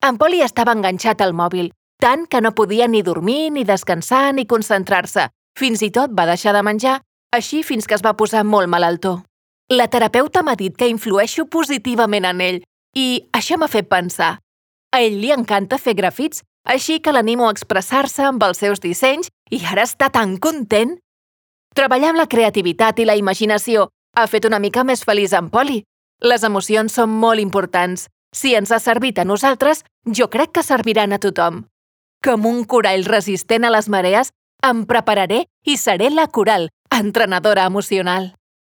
En Poli estava enganxat al mòbil, tant que no podia ni dormir, ni descansar, ni concentrar-se. Fins i tot va deixar de menjar, així fins que es va posar molt malaltó. La terapeuta m'ha dit que influeixo positivament en ell i això m'ha fet pensar. A ell li encanta fer grafits, així que l'animo a expressar-se amb els seus dissenys i ara està tan content. Treballar amb la creativitat i la imaginació ha fet una mica més feliç en Poli. Les emocions són molt importants. Si ens ha servit a nosaltres, jo crec que serviran a tothom. Com un corall resistent a les marees, em prepararé i seré la Coral, entrenadora emocional.